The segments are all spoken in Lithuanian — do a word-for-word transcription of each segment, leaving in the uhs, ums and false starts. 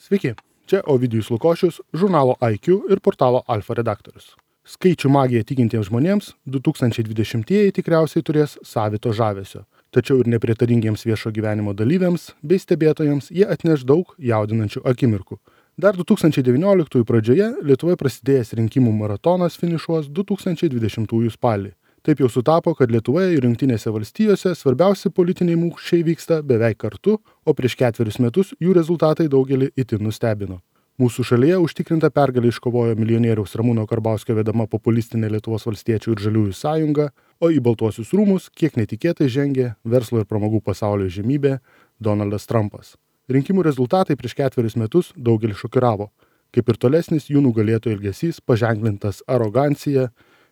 Sveiki, čia Ovidijus Lukošius, žurnalo I Q ir portalo Alfa redaktorius. Skaičių magiją tikintiems žmonėms du tūkstančiai dvidešimtieji tikriausiai turės savito žavesio, tačiau ir nepritaringiems viešo gyvenimo dalyviams bei stebėtojams jie atneš daug jaudinančių akimirkų. Dar du tūkstančiai devynioliktųjų pradžioje Lietuvoje prasidėjęs rinkimų maratonas finišuos du tūkstančiai dvidešimtųjų spalį. Taip jau sutapo, kad Lietuvoje ir Jungtinėse valstijose svarbiausi politiniai mūšiai vyksta beveik kartu, o prieš ketverius metus jų rezultatai daugelį itin nustebino. Mūsų šalyje užtikrinta pergalę iškovojo milijonieriaus Ramūno Karbauskio vedama populistinė Lietuvos valstiečių ir žaliųjų sąjunga, o į Baltuosius rūmus kiek netikėtai žengė verslo ir pramogų pasaulio žemybė Donaldas Trumpas. Rinkimų rezultatai prieš ketverius metus daugelį šokiravo, kaip ir tolesnis jų nugalėtojų elgesys paženklintas arogancija,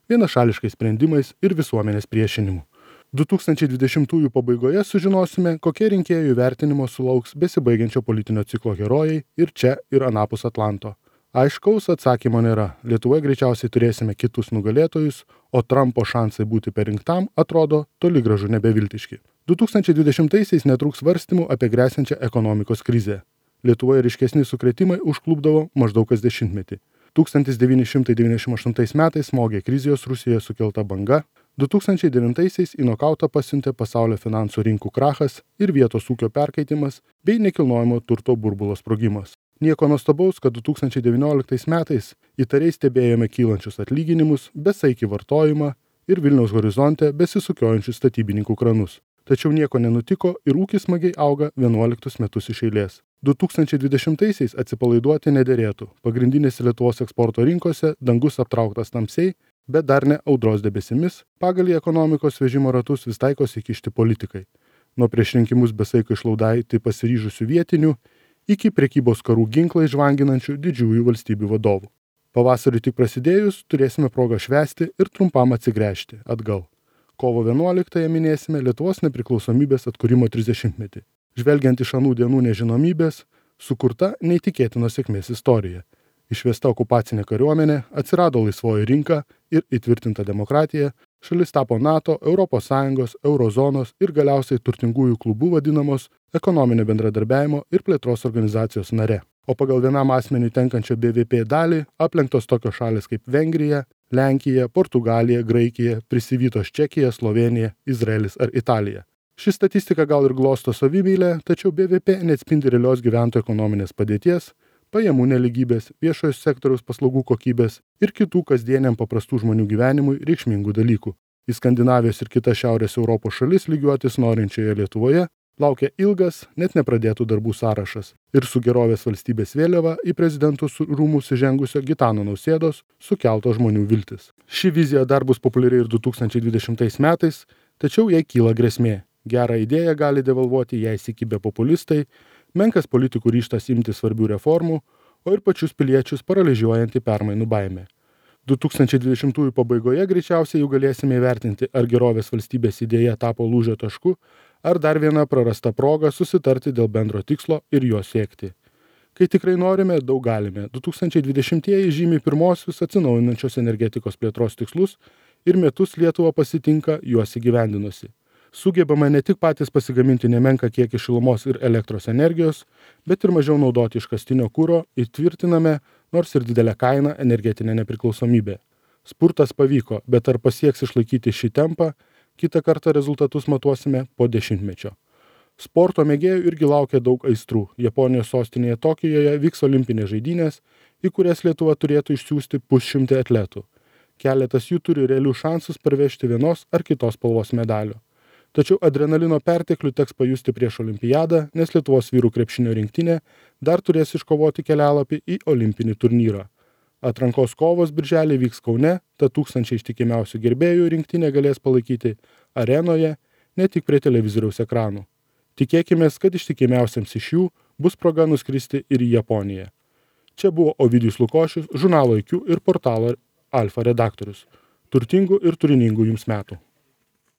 vienašališkais sprendimais ir visuomenės priešinimu. du tūkstančiai dvidešimtųjų pabaigoje sužinosime, kokie rinkėjų vertinimo sulauks besibaigiančio politinio ciklo herojai ir čia, ir anapus Atlanto. Aiškaus atsakymo nėra. Lietuvoje greičiausiai turėsime kitus nugalėtojus, o Trumpo šansai būti perrinktam atrodo toli gražu nebeviltiški. du tūkstančiai dvidešimtaisiais netrūks svarstymų apie gresiančią ekonomikos krizę. Lietuvoje ryškesni sukrėtimai užklupdavo maždaug kas dešimtmetį. tūkstantis devyni šimtai devyniasdešimt aštuntais metais smogė krizijos Rusijoje sukelta banga, du tūkstančiai devintaisiais į nokautą pasiuntė pasaulio finansų rinkų krachas ir vietos ūkio perkaitimas bei nekilnojamo turto burbulo sprogimas. Nieko nuostabaus, kad du tūkstančiai devynioliktais metais įtariai stebėjome kylančius atlyginimus, besaikį vartojimą ir Vilniaus horizonte besisukiojančius statybininkų kranus. Tačiau nieko nenutiko ir ūkis smagiai auga vienuoliktus metus iš eilės. du tūkstančiai dvidešimtaisiais atsipalaiduoti nederėtų. Pagrindinėse Lietuvos eksporto rinkose dangus aptrauktas tamsiai, bet dar ne audros debesimis, pagal į ekonomikos vežimo ratus vis taikosi įkišti politikai. Nuo prieš rinkimus besaiko išlaudaitį pasiryžusių vietinių iki prekybos karų ginklai žvanginančių didžiųjų valstybių vadovų. Pavasarį tik prasidėjus turėsime progą švęsti ir trumpam atsigręžti atgal. Kovo vienuoliktąją minėsime Lietuvos nepriklausomybės atkūrimo trisdešimtmetį. Žvelgiant iš anų dienų nežinomybės, sukurta neįtikėtinos sėkmės istorija. Išvesta okupacinė kariuomenė, atsirado laisvoji rinka ir įtvirtinta demokratija, šalis tapo NATO, Europos Sąjungos, Eurozonos ir galiausiai turtingųjų klubų vadinamos ekonominio bendradarbiavimo ir plėtros organizacijos nare. O pagal vienam asmeniui tenkančią B V P dalį aplenktos tokios šalys kaip Vengrija, Lenkija, Portugalija, Graikija, prisivytos Čekija, Slovenija, Izraelis ar Italija. Ši statistika gal ir glosto savimeilę, tačiau B V P neatspindi realios gyventojų ekonominės padėties, pajamų neligybės, viešojo sektoriaus paslaugų kokybės ir kitų kasdieniam paprastų žmonių gyvenimui reikšmingų dalykų. Į Skandinavijos ir kitas Šiaurės Europos šalis lygiuotis norinčioje Lietuvoje laukia ilgas, net nepradėtų darbų sąrašas ir su gerovės valstybės vėliava į prezidentų rūmus įžengusio Gitano Nausėdos sukelto žmonių viltis. Ši vizija dar bus populiari ir du tūkstančiai dvidešimtais metais, tačiau jai kyla grėsmė. Gerą idėją gali devalvuoti jai įsikibę populistai, menkas politikų ryžtas imti svarbių reformų, o ir pačius piliečius paralyžiuojanti permainų baimė. du tūkstančiai dvidešimtųjų pabaigoje greičiausiai jau galėsime įvertinti, ar gerovės valstybės idėja tapo lūžio tašku, ar dar viena prarasta proga susitarti dėl bendro tikslo ir jo siekti. Kai tikrai norime, daug galime. du tūkstančiai dvidešimtieji žymi pirmosius atsinaujinančios energetikos plėtros tikslus ir metus Lietuva pasitinka juos įgyvendinusi. Sugebame ne tik patys pasigaminti nemenką kiekį šilumos ir elektros energijos, bet ir mažiau naudoti iškastinio kuro, įtvirtiname, nors ir didelę kainą, energetinę nepriklausomybę. Spurtas pavyko, bet ar pasieks išlaikyti šį tempą, kitą kartą rezultatus matuosime po dešimtmečio. Sporto mėgėjų irgi laukia daug aistrų. Japonijos sostinėje Tokijoje vyks olimpinės žaidynės, į kurias Lietuva turėtų išsiųsti pusšimtį atletų. Keletas jų turi realių šansus parvežti vienos ar kitos spalvos medalio. Tačiau adrenalino perteklių teks pajusti prieš olimpiadą, nes Lietuvos vyrų krepšinio rinktinė dar turės iškovoti kelialapį į olimpinį turnyrą. Atrankos kovos birželį vyks Kaune, tad tūkstančiai ištikimiausių gerbėjų rinktinė galės palaikyti arenoje, ne tik prie televizoriaus ekranų. Tikėkimės, kad ištikimiausiams iš jų bus proga nuskristi ir į Japoniją. Čia buvo Ovidijus Lukošius, žurnalo I Q ir portalo Alfa redaktorius. Turtingų ir turiningų jums metų.